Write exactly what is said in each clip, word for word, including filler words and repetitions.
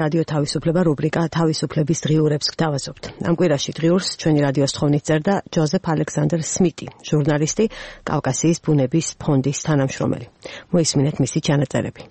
რადიო თავისუფლება რუბრიკა თავისუფლების დღიურებს გთავაზობთ. ამ კვირაში დღიურს ჩვენი რადიოს თხოვნით წერდა ჯოზეფ ალექსანდრ სმიტი, ჟურნალისტი, კავკასიის ბუნების ფონდის თანამშრომელი. მოისმინეთ მისი ჩანაწერები.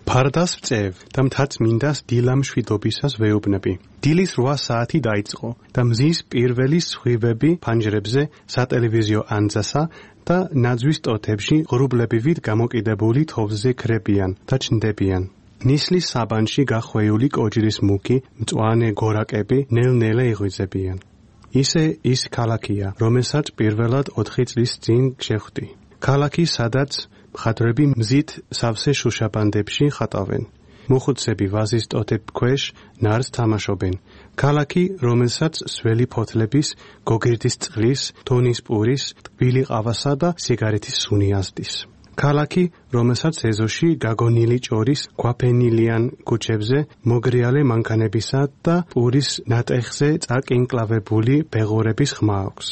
ფარდას წევ და მთაწმინდას დილა მშვიდობისას ვეუბნები. დილის რვა საათი დაიწყო და მზის პირველი სხვივები ფანჯრებზე, სატელევიზიო ანძასა და ნაძვის ტოტებში ღრუბლებივით გამოკიდებული თოვზე ქრებიან და ჩნდებიან. ნისლის საბანში გახვეული კოჯრის მუქი, მწვანე გორაკები ნელ-ნელა იღვიძებიან. ისე ის ქალაქია, რომელსაც პირველად ოთხი წლის წინ შეხვდი. ქალაქი, სადაც მხატვრები მზით სავსე შუშაბანდებში ხატავენ. მოხუცები ვაზის ტოტებ ქვეშ ნარს თამაშობენ. ქალაქი, რომელსაც სველი ფოთლების, გოგირდის წყლის, თონის პურის, ტკბილი ყავასა და სიგარეთის სუნი ასდის. ქალაქი, რომელსაც ეზოში გაგონილი ჭორის გვაფენილიან ქუჩებზე მოგრიალე მანქანებისა და პურის ნატეხზე წაკინკლავებული ბეღურების ხმა აქვს.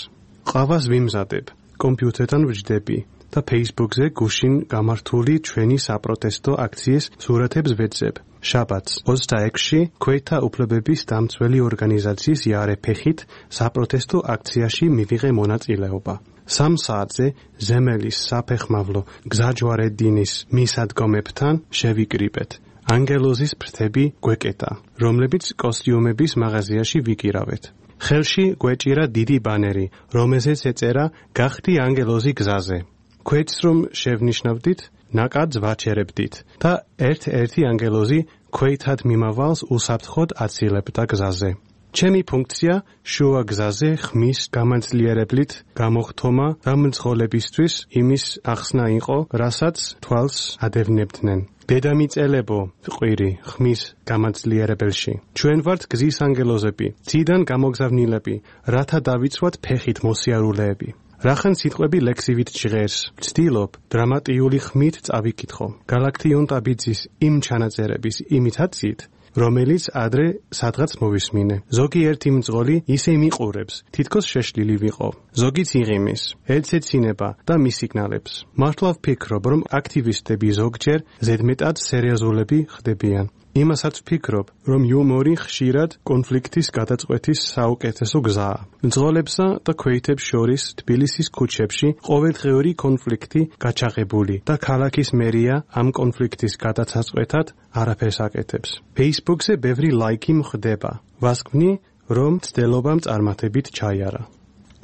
ყავას ვიმზადებ, კომპიუტერთან ვჯდები და Facebook-ზე გუშინ გამართული ჩვენი საპროტესტო აქციის სურათებს ვეძებ. შაბათს ოცდაექვსში ქვეთა უფლებების დამცველი ორგანიზაციის იარეფეხით საპროტესტო აქციაში მივიღე მონაწილეობა. სამ საათზე ზემელის საფეხმავლო გზაჯვარედინის მისადგომებთან შევიკრიბეთ. ანგელოზის ფრთები გვეკეტა, რომლებიც კოსტიუმების მაღაზიაში ვიკირავეთ. ხელში გვეჭირა დიდი ბანერი, რომელზეც ეწერა გახდი ანგელოზი გზაზე. ქვეითს რომ შევნიშნავდით, ნაკადს ვაჩერებდით და ერთ-ერთი ანგელოზი ქვეითად მიმავალს უსაფრთხოდ აცილებდა გზაზე. ჩემი ფუნქცია შუა გზაზე ხმის გამანძლიერებლით გამოხთომა და მძღოლებისთვის იმის ახსნა იყო, რასაც თვალს ადევნებდნენ. დედამიწელებო ყვირი ხმის გამანძლიერებელში. ჩვენ ვართ გზის ანგელოზები, ციდან გამოგზავნილები, რათა დავიცვათ ფეხით მოსიარულეები. რახან სიტყვები ლექსივით ჟღერს, ვცდილობ დრამატიული ხმით წავიკითხო. გალაქტიონ ტაბიძის იმ ჩანაწერების იმიტაციით, რომელიც ადრე სადღაც მოვისმინე. ზოგი ერთი მძღოლი ისე მიყურებს, თითქოს შეშლილი ვიყო. ზოგიც იღიმის, ეცეცინება და მისიგნალებს. მართლა ვფიქრობ, რომ აქტივისტები ზოგჯერ ზედმეტად სერიოზულები ხდებიან. იმასაც ვფიქრობ, რომ იუმორი ხშირად კონფლიქტის გადაწყვეტის საუკეთესო გზაა. მძღოლებსა და ქვეითებს შორის თბილისის ქუჩებში ყოველდღიური კონფლიქტი გაჩაღებული და ქალაქის მერია ამ კონფლიქტის გადაწყვეტად არაფერს აკეთებს. Facebook-ზე ბევრი ლაიკი მხდება. ვასკვნი, რომ მცდელობამ წარმატებით ჩაიარა.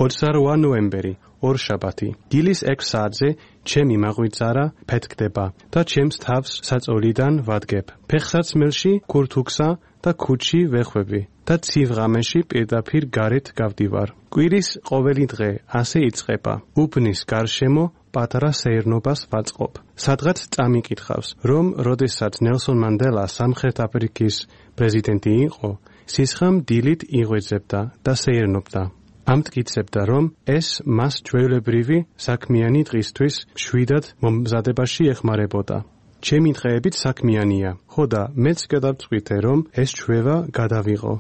ოცდარვა ნოემბერი, ორშაბათი. დილის ექვს საათზე ჩემი მაღვიძარა ფეთქდება და ჩემს თავს საწოლიდან ვადგებ. ფეხსაცმელში ქურთუქსა და ქუჩი ვეხვები და ცივ ღამეში პირდაპირ გარეთ გავდივარ. კვირის ყოველი დღე ასე იწყება. უბნის გარშემო პატარა სეირნობას ვაწყობ. სადღაც წამიკითხავს, რომ როდესაც ნელსონ მანდელა სამხრეთ აფრიკის პრეზიდენტი იყო, სისხლამ დილით იღვეძებდა და სეირნობდა. ამტკიცებდა, რომ ეს მას ჩვეულებრივი საქმიანი დღისთვის მშვიდად მომზადებაში ეხმარებოდა. ჩემი დღეებით საქმიანია, ხო და მეც გადავწყვიტე, რომ ეს ჩვევა გადავიღო.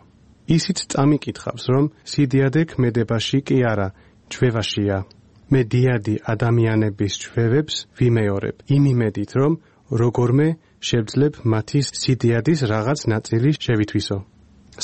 ისიც წამიკითხავს, რომ სიდიადე ქმედებაში კი არა, ჩვევაშია. მე დიადი ადამიანების ჩვევებს ვიმეორებ, იმ იმედით, რომ როგორმე შევძლებ მათი სიდიადის რაღაც ნაწილი შევითვისო.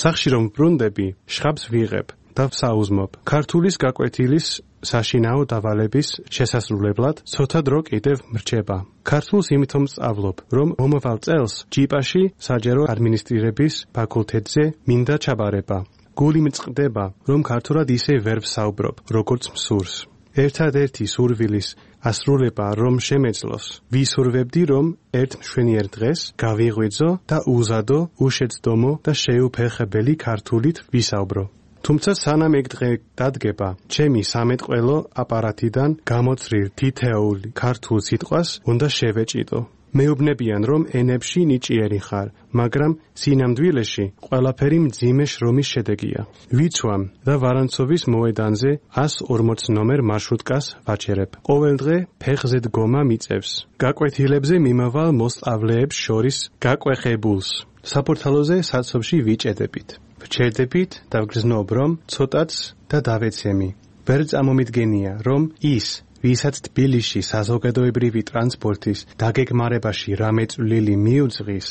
სახში რომ ბრუნდები, შხაბს ვიღებ და ვსაუზმობ. ქართულის გაკვეთილის საშინაო დავალების შესასრულებლად ცოტა დრო კიდევ მრჩება. ქართულს იმითომ სწავლობ, რომ მომავალ წელს ჯიპაში საჯარო ადმინისტრირების ფაკულტეტზე მინდა ჩაბარება. გული მწყდება, რომ ქართულად ისე ვერ ვსაუბრობ, როგორც მსურს. ერთადერთი სურვილის ასრულება რომ შემეძლოს. ვისურვებდი, რომ ერთ მშვენიერ დღეს გავიღვიძო და უზადო, უშეცდომო და შეუფერხებელი ქართულით ვისაუბრო. თუმცა სანამ ეგ დღე დადგება, ჩემი სამეტყველო აპარატიდან გამოცრილ თითოეულ ქართულ სიტყვას უნდა შევეჭიდო. მეუბნებიან, რომ ენებში ნიჭიერი ხარ, მაგრამ სინამდვილეში ყველაფერი მძიმე შრომის შედეგია. ვიცვამ და ვარანცოვის მოედანზე εκατს ორმოც ნომერ მარშრუტკას ვაჩერებ. ყოველდღე ფეხზე დგომა მიწევს. გაკვეთილებზე მიმავალ მოსწავლეებს შორის გაკვეხებულს. საპორტალოზე საცობში ვიჭედებით. ვჩერდებით და ვგრძნობ, რომ ცოტაც და დავეცემი. ვერ წამომიდგენია, რომ ის ვისაც თბილისში საზოგადოებრივი ტრანსპორტის დაგეგმარებაში რამე წვლილი მიუძღვის,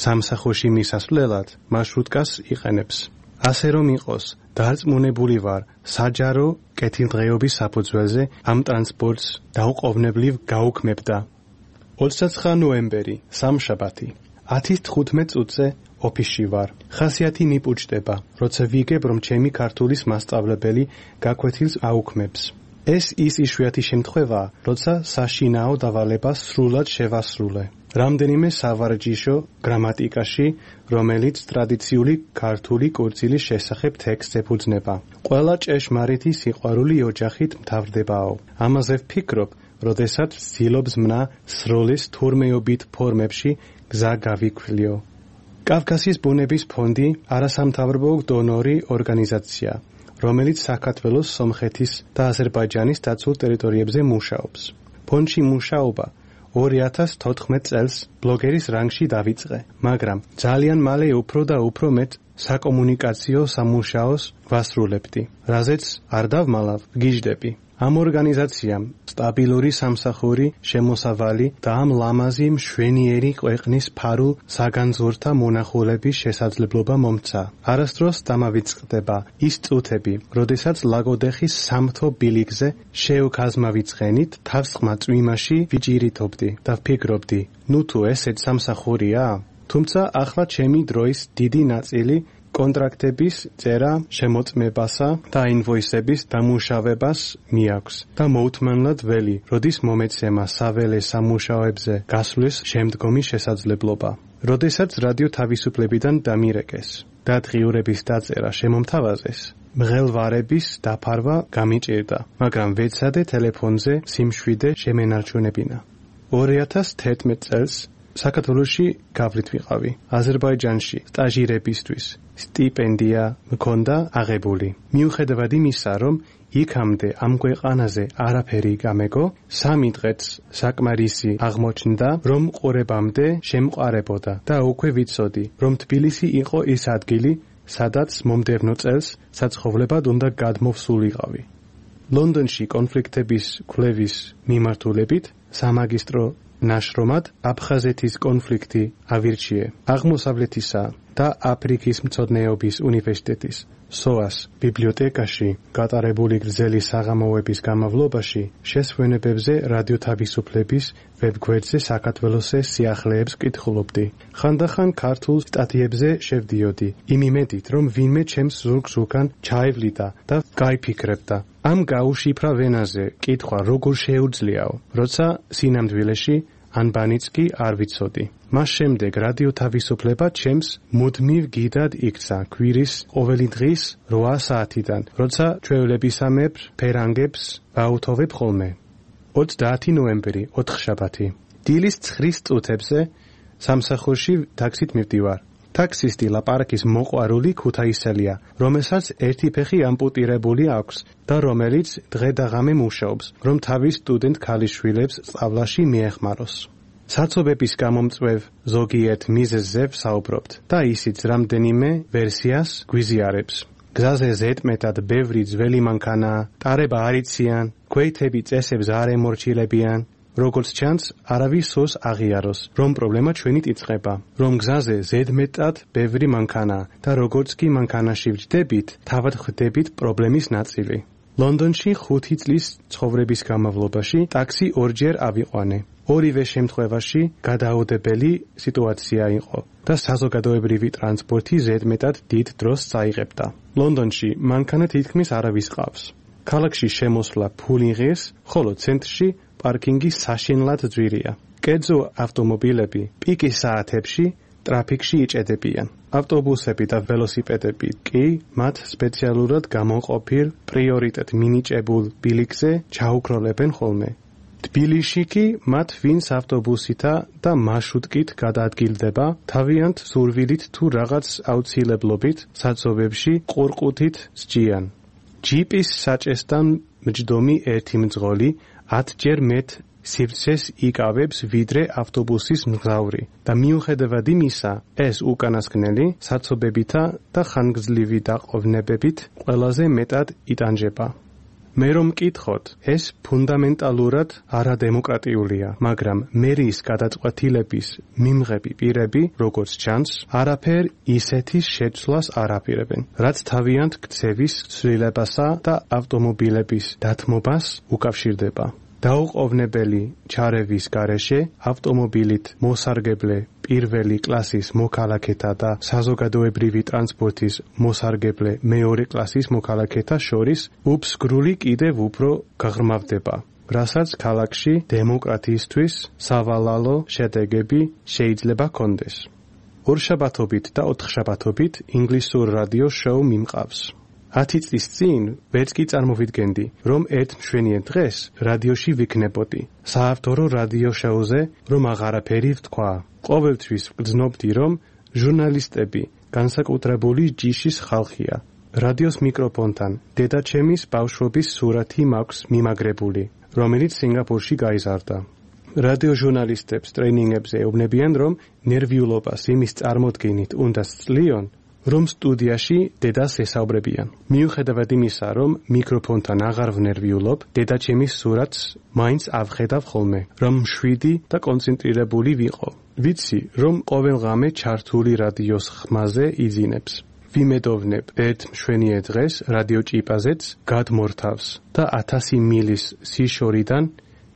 სამსახურში მისასვლელად მარშრუტკას იყენებს. ასე რომ იყოს, დარწმუნებული ვარ, საჯარო კეთილდღეობის საფუძველზე ამ ტრანსპორტს დაუყოვნებლივ გაუქმებდა. ოცდაცხრე ნოემბერი, სამშაბათი. ათის თხუთმეტ წუთზე ოფისში ვარ. ხასიათი მიპუჭდება, როცა ვიგებ, რომ ჩემი ქართულის მასწავლებელი გაკვეთილს აუქმებს. ეს ის იშვიათი შემთხვევაა, როცა საშინაო დავალებას სრულად შევასრულე. რამდენიმე სავარჯიშო გრამატიკაში, რომელიც ტრადიციული ქართული კურსილის შესახებ ტექსტს ეფუძნება. ყველა ჭეშმარიტი სიყვარული ოჯახით მთავრდებაო. ამაზე ვფიქრობ, როდესაც ვცდილობს მნა სროლის თურმეობით ფორმებში გზა გავიქვლიო. კავკასიის ბუნების ფონდი არასამთავრობო დონორი ორგანიზაცია, რომელიც საქართველოს, სომხეთის და აზერბაიჯანის დაცულ ტერიტორიებზე მუშაობს. ფონდში მუშაობა ორი ათას თოთხმეტ წელს ბლოგერის რანგში დავიწყე, მაგრამ ძალიან მალე უფრო და უფრო მეტ საკომუნიკაციო სამუშაოს ვასრულებდი, რაზეც არ დავმალავ, ვგიჟდები. ამ ორგანიზაციამ სტაბილური სამსახური, შემოსავალი და ამ ლამაზი მშვენიერი ქვეყნის ფარულ საგანძურთა მონახულების შესაძლებლობა მომცა. არასდროს დამავიწყდება ის წუთები, როდესაც ლაგოდეხის სამთო ბილიკზე შეუქაზმავიწყენით თავსხმა წვიმაში ვიჭირითობდი და ვფიქრობდი, ნუ თუ ესეც სამსახურია? თუმცა ახლა ჩემი დროის დიდი ნაწილი კონტრაქტების წერა, შემოწმებასა და ინვოისების დამუშავებას მიაქვს და მოუთმენლად ველი, როდის მომეცემა საველე სამუშაოებზე გასვლის შემდგომი შესაძლებლობა. როდესაც რადიო თავისუფლებიდან დამირეკეს და დღიურების დაწერა შემომთავაზეს, მღელვარების დაფარვა გამიჭირდა, მაგრამ ვეცადე ტელეფონზე სიმშვიდე შემენარჩუნებინა. ორი ათას თერთმეტ წელს საქართველოში გავლით ვიყავი. აზერბაიჯანში სტაჟირებისთვის სტიპენდია მქონდა აღებული. მიუხედავად იმისა, რომ იქამდე ამ ქვეყანაზე არაფერი გამეგო, სამი დღეც საკმარისი აღმოჩნდა, რომ ყურებამდე შემყარებოდა და უკვე ვიცოდი, რომ თბილისი იყო ის ადგილი, სადაც მომდევნო წელს საცხოვრებად უნდა გადმოვსულიყავი. ლონდონში კონფლიქტების კვლევის მიმართულებით სამაგისტრო ნაშრომად აფხაზეთის კონფლიქტი ავირჩიე. აღმოსავლეთისა და აფრიკის მცოდნეობის უნივერსიტეტის სოას ბიბლიოთეკაში გატარებული გრძელი საღამოების განმავლობაში შესვენებებზე რადიო თავისუფლების ვებგვერდზე საქართველოსე სიახლეებს კითხულობდი. ხანდახან ქართულ სტატიებზე შევდიოდი, იმ იმედით, რომ ვინმე ჩემს ზურგს უკან ჩაევლიდა და გაიფიქრებდა. ამ გაუშიფრა ვენაზე კითხვა როგორ შეუძლიაო, როცა სინამდვილეში ანბანიც კი არ ვიცოდი. მას შემდეგ რადიო თავისუფლება ჩემს მუდმივ გიდად იქცა კვირის ყოველი დღის რვა საათიდან, როცა ჩვეულებისამებრ ფერანგებს ვაუთოვებ ხოლმე. ოცდაათი ნოემბერი, ოთხშაბათი. დილის ცხრის წუთებზე სამსახურში ტაქსით მივდივარ. ტაქსისტი ლაპარაკის მოყვარული ქუთაისელია, რომელსაც ერთი ფეხი ამპუტირებული აქვს და რომელიც დღე და ღამე მუშაობს, რომ თავის სტუდენტ ქალიშვილებს სწავლაში მიეხმაროს. საცობების გამომწვევ ზოგიერთ მიზეზზე ვსაუბრობთ და ისიც რამდენიმე ვერსიას გვიზიარებს. გზაზე ზედმეტად ბევრი ძველი მანქანაა, ტარება არ იციან, ქვეითები წესებს არ ემორჩილებიან. როგორც ჩანს, არავის სურს აღიაროს, რომ პრობლემა ჩვენით იწყება, რომ გზაზე ზედმეტად ბევრი მანქანაა და როგორც კი მანქანაში ვჯდებით, თავად ხვდებით პრობლემის ნაწილი. ლონდონში ხუთი წლის ცხოვრების განმავლობაში ტაქსი ორჯერ ავიყვანე. ორივე შემთხვევაში გადაუდებელი სიტუაცია იყო და საზოგადოებრივი ტრანსპორტი ზედმეტად დიდ დროს წაიღებდა. ლონდონში მანქანა თითქმის არავის ყავს. ქალაქში შემოსვლა ფული ღირს, ხოლო ცენტრში პარკინგი საშინლად ძვირია. კერძო ავტომობილები პიკის საათებში ტრაფიკში იჭედებიან. ავტობუსები და ველოსიპედები კი მათ სპეციალურად გამოყოფილ პრიორიტეტ მინიჭებულ ბილიკზე ჩაუქროლებენ ხოლმე. თბილისში კი მათ ვინც ავტობუსითა და მარშრუტკით გადაადგილდება, თავიანთ სურვილით თუ რაღაც აუცილებლობით საცობებში ყურყუთით სჯიან. ჯიპის საჭესთან მჯდომი ერთი მძღოლი ათჯერ მეტ სივრცეს იკავებს ვიდრე ავტობუსის მგზავრი და მიუხედავად იმისა, ეს უკანასკნელი საცობებითა და ხანგრძლივი დაყოვნებებით ყველაზე მეტად იტანჯება. მე რომ მკითხოთ, ეს ფუნდამენტალურად არადემოკრატიულია, მაგრამ მერიის გადაწყვეტილების მიმღები პირები, როგორც ჩანს, არაფერ ისეთის შეცვლას არ აპირებენ, რაც თავიანთ ქცევის ცვლილებასა და ავტომობილების დათმობას უკავშირდება. დაუყოვნებელი ჩარევის გარეშე ავტომობილით მოსარგებლე პირველი კლასის მოქალაქეთა და საზოგადოებრივი ტრანსპორტის მოსარგებლე მეორე კლასის მოქალაქეთა შორის უფსგრული კიდევ უფრო გაღრმავდება, რასაც ქალაქში დემოკრატიისთვის სავალალო შედეგები შეიძლება ჰქონდეს. ორშაბათობით და ოთხშაბათობით ინგლისურ რადიო შოუ მიმყავს. ათი წლის წინ ვერც კი წარმოვიდგენდი, რომ ერთ მშვენიერ დღეს რადიოში ვიქნებოდი. საავტორო რადიო შოუზე რომ აღარაფერი ვთქვა. ყოველთვის ვგრძნობდი, რომ ჟურნალისტები განსაკუთრებული ჯიშის ხალხია. რადიოს მიკროფონთან დედაჩემის ბავშვობის სურათი მაქვს მიმაგრებული, რომელიც სინგაპურში გაიზარდა. რადიო ჟურნალისტებს ტრეინინგებზე ეუბნებიან, რომ ნერვიულობას იმის წარმოდგენით უნდა სწლიონ, რომ სტუდიაში დედას ესაუბრებიან. მიუხედავად იმისა, რომ მიკროფონთან აღარ ვნერვიულობ, დედაჩემის სურათს მაინც ავხედავ ხოლმე, რომ მშვიდი და კონცენტრირებული ვიყო. ვიცი, რომ ყოველ ღამე ჩართული რადიოს ხმაზე იძინებს. ვიმედოვნებ ერთ მშვენიერ დღეს რადიო ჭიპაზეც გადმორთავს და ათასი მილის სიშორიდან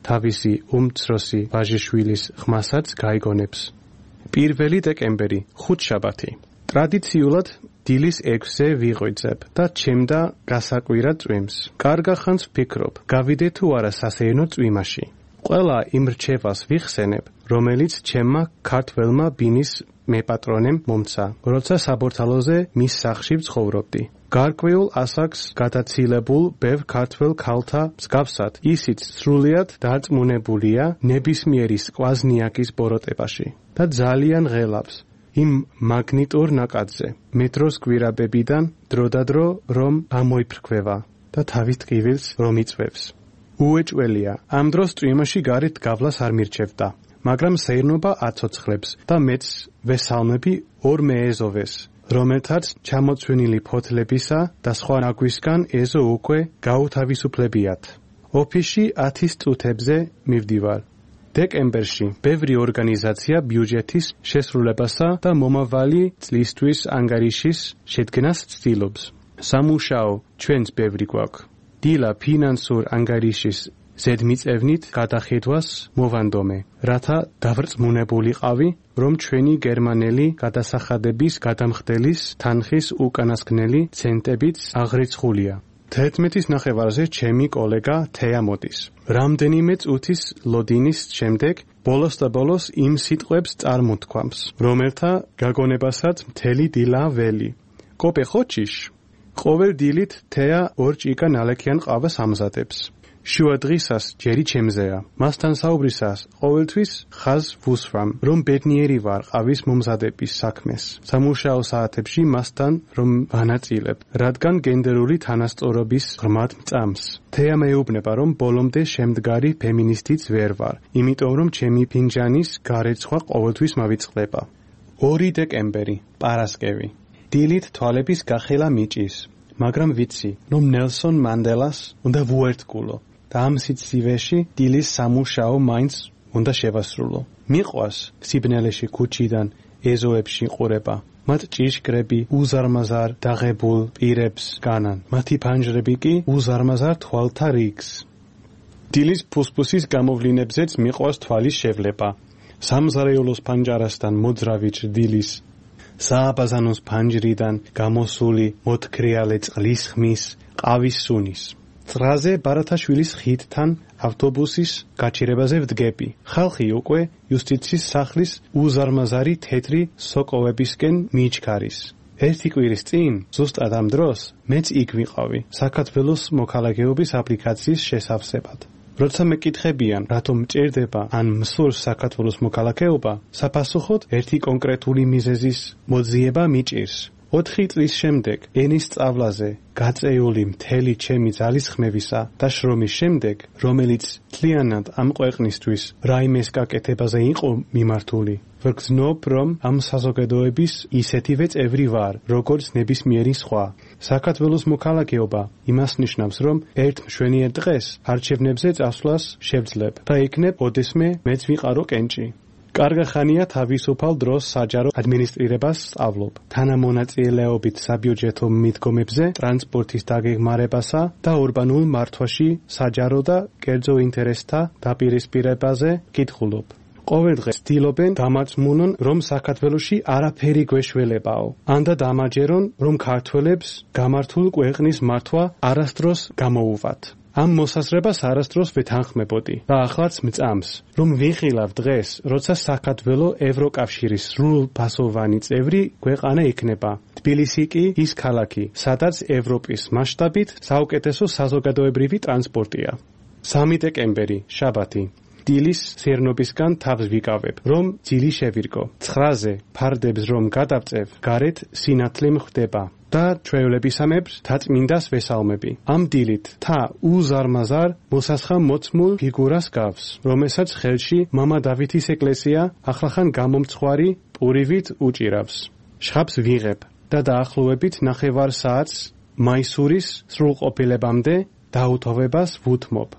თავისი უმცროსი ვაჟიშვილის ხმასაც გაიგონებს. პირველი დეკემბერი, ხუთშაბათი. ტრადიციულად დილის ექვსზე ვიღვიძებ და ჩემდა გასაკვირად წვიმს. კარგა ხანს ვფიქრობ, გავიდე თუ არა სასეირნო წვიმაში. ყველა იმ რჩევას ვიხსენებ, რომელიც ჩემმა ქართველმა ბინის მეპატრონემ მომცა, როცა საბორთალოზე მის სახლში ვცხოვრობდი. გარკვეულ ასაკს გადაცილებულ ბევრ ქართველ ქალთა მსგავსად, ისიც სრულიად დარწმუნებულია ნებისმიერი სკვაზნიაკის ბოროტებაში და ძალიან ღელავს იმ მაგნიტურ ნაკადზე, მეტროს გვირაბებიდან დროდადრო რომ ამოიფრქვევა და თავის ტკივილს რომ იწვევს. უეჭველია, ამ დროს წვიმაში გარეთ გავლას არ მირჩევდა, მაგრამ სეირნობა აცოცხლებს და მეც ვესალმები ორ მეეზოვეს, რომელთაც ჩამოცვენილი ფოთლებისა და სხვა ნაგვისგან ეზო უკვე გაუთავისუფლებიათ. ოფისში ათის წუთებზე მივდივარ. დეკემბერში ბევრი ორგანიზაცია ბიუჯეტის შესრულებასა და მომავალი წლისთვის ანგარიშის შედგენას ცდილობს. სამუშაო ჩვენც ბევრი გვაქვს. დილა ფინანსურ ანგარიშის ზედმიწევნით გადახედვას მოვანდომე, რათა დავრწმუნებულიყავი, რომ ჩვენი გერმანელი გადასახადების გადამხდელის თანხის უკანასკნელი ცენტებიც აღრიცხულია. თერთმეტის ნახევარზე ჩემი კოლეგა თეა მოდის. რამდენიმე წუთის ლოდინის შემდეგ ბოლოს და ბოლოს იმ სიტყვებს წარმოთქვამს, რომელთა გაგონებასაც მთელი დილა ველი. კოპე ხოჩიშ? ყოველ დილით თეა ორ ჭიკა ნალექიან ყავას ამზადებს. შუა დღისას ჯერი ჩემზეა. მასთან საუბრისას ყოველთვის ხაზ ვუსვამ, რომ ბედნიერი ვარ ყავის მომზადების საქმეს. სამუშაო საათებში მასთან რომ ვანაწილებ, რადგან გენდერული თანასწორობის ღრმად მწამს. თეა მეუბნება, რომ ბოლომდე შემდგარი ფემინისტიც ვერ ვარ, იმიტომ რომ ჩემი ფინჯანის გარეცხვა ყოველთვის მავიწყდება. ორი დეკემბერი, პარასკევი. დილით თვალების გახელა მიჭის, მაგრამ ვიცი, რომ ნელსონ მანდელას უნდა ვუერთგულო და ამ სიცივეში დილის სამუშაო მაინც უნდა შევასრულო. მიყვას სიბნელეში ქუჩიდან ეზოებში ყურება. მათ ჭიშკრები უზარმაზარ დაღებულ პირებს განან. მათი ფანჯრები კი უზარმაზარ თვალთა რიგს. დილის ფუსფუსის გამოვლინებზეც მიყვას თვალის შევლება. სამზარეულოს ფანჯარასთან მოძრავი ჭრდილის, სააბაზანოს ფანჯრიდან გამოსული მოთქრიალე წყლის ხმის, ყავის სუნის. წრაზე ბარათაშვილის ხიდთან ავტობუსის გაჩერებაზე ვდგები. ხალხი უკვე იუსტიციის სახლის უზარმაზარი თეთრი სოკოვებისკენ მიიჩქარის. ერთი კვირის წინ, ზუსტად ამ დროს, მეც იქ ვიყავი, საქართველოს მოქალაქეობის აპლიკაციის შესავსებად. როცა მეკითხებიან, რატომ მჭირდება ან მსურს საქართველოს მოქალაქეობა, საფასუხოდ ერთი კონკრეტული მიზეზის მოძიება მიჭირს. ოთხი წლის შემდეგ, ენის სწავლაზე, გაწეული მთელი ჩემი ძალისხმევისა და შრომის შემდეგ, რომელიც მთლიანად ამ ქვეყნისთვის რაიმეს გაკეთებაზე იყო მიმართული, ვგრძნობ, რომ ამ საზოგადოების ისეთივე წევრი ვარ, როგორც ნებისმიერი სხვა. საქართველოს მოქალაქეობა იმას ნიშნავს, რომ ერთ მშვენიერ დღეს არჩევნებზე წასვლას შევძლებ და იქნებ ოდესმე მეც ვიყარო კენჭი. კარგა ხანია თავისუფალ დროს საჯარო ადმინისტრირებას სწავლობ. თანამონაწილეობით საბიუჯეტო მიდგომებზე, ტრანსპორტის დაგეგმარებასა და ურბანულ მართვაში საჯარო და კერძო ინტერესთა დაპირისპირებაზე კითხულობ. ყოველ დღეს ცდილობენ დამარწმუნონ, რომ საქართველოში არაფერი გვეშველებაო. ანდა დამაჯერონ, რომ ქართველებს გამართულ ქვეყნის მართვა არასდროს გამოუვათ. ამ მოსაზრებას არასდროს ვეთანხმებოდი და ახლაც მწამს, რომ ვიღილავ დღეს, როცა საქართველო ევროკავშირის სრულფასოვანი წევრი ქვეყანა იქნება. თბილისი კი ის ქალაქი, სადაც ევროპის მასშტაბით საუკეთესო საზოგადოებრივი ტრანსპორტია. სამი დეკემბერი, შაბათი. დილის სერნობისგან თავს ვიკავებ, რომ ძილი შევირკო. ცხრაზე ფარდებს რომ გადავწევ, გარეთ სინათლე მხვდება. და ჩვეულებისამებრ თაწმინდას ვესალმები. ამ დილით თა უზარმაზარ მოსასხამ მოცმულ ფიგურას გავს, რომელსაც ხელში მამა დავითის ეკლესია ახლახან გამომცხვარი პურივით უჭირავს. შხაპს ვიღებ და დაახლოებით ნახევარ საათს მაისურის სრულყოფილებამდე დაუთოვებას ვუთმობ.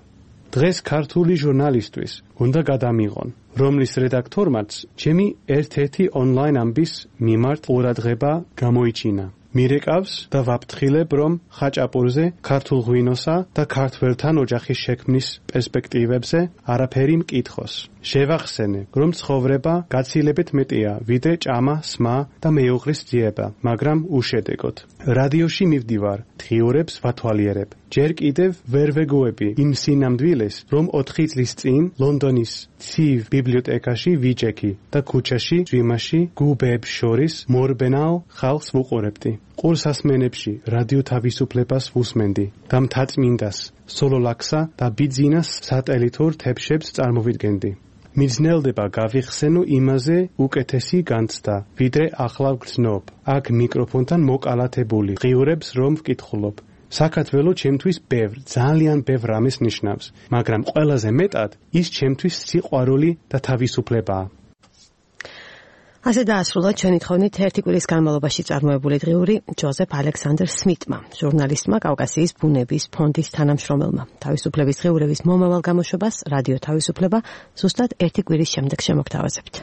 დღეს ქართული ჟურნალისტვის უნდა გადამიღონ, რომლის რედაქთორმაც ჩემი ერთ-ერთი ონლაინ ამბის მიმართ ყურადღება გამოიჩინა. მირეკავს და ვაფრთხილებ, რომ ხაჭაპურზე, ქართულ ღვინოსა და ქართველთან ოჯახის შექმნის პერსპექტივებზე არაფერი მკითხოს. შევახსენე, რომ ცხოვრება გაცილებით მეტია, ვიდრე ჭამა, სმა და მეუღლის ძიება, მაგრამ უშედეგოდ. რადიოში მივდივარ, დღიურებს ვათვალიერებ. ჯერ კიდევ ვერ ვეგუები იმ სინამდვილეს, რომ ოთხი წლის წინ ლონდონის ცივ ბიბლიოთეკაში ვიჯექი და ქუჩაში, ძვიმაში, გუბეებს შორის მორბენალ ხალხს ვუყურებდი. ყურსასმენებში რადიო თავისუფლებას ვუსმენდი და მთაწმინდას, სოლოლაქსა და ბიძინას სატელითურ თებშებს წარმოვიდგენდი. მიძნელდება გავიხსენო იმაზე უკეთესი განცდა, ვიდრე ახლა ვგრძნობ. აქ მიკროფონთან მოკალათებული ღიურებს რომ ვკითხულობ. საქართველო ჩემთვის ბევრ, ძალიან ბევრ რამეს ნიშნავს, მაგრამ ყველაზე მეტად ის ჩემთვის სიყვარული და თავისუფლებაა. ასე დაასრულა ჩვენი თხოვნით ერთი კვირის განმავლობაში წარმოებული დღიური ჯოზეფ ალექსანდრ სმიტმა, ჟურნალისტმა, კავკასიის ბუნების ფონდის თანამშრომელმა. თავისუფლების დღიურების მომავალ გამოშვებას რადიო თავისუფლება ზუსტად ერთი კვირის შემდეგ შემოგთავაზებთ.